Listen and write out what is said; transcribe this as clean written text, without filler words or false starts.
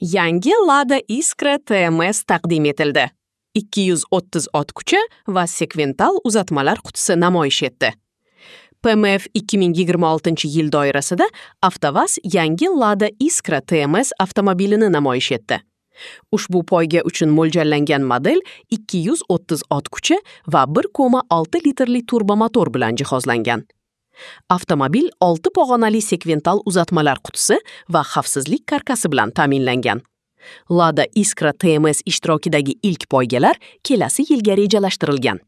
Yangi Lada Iskra TMS taqdim etildi. 230 ot kuchi va sekvental uzatmalar qutisi namoyish etdi. PMF 2026-yil doirasida AvtoVAZ yangi Lada Iskra TMS avtomobilini namoyish etdi. Ushbu poyga uchun mo'ljallangan model 230 ot kuchi va 1,6 litrli turbomotor bilan jihozlangan. Avtomobil 6 pog'onali sekvental uzatmalar qutisi va xavfsizlik karkasi bilan ta'minlangan. Lada Iskra TMS ishtirokidagi ilk poygalar kelasi yilga rejalashtirilgan.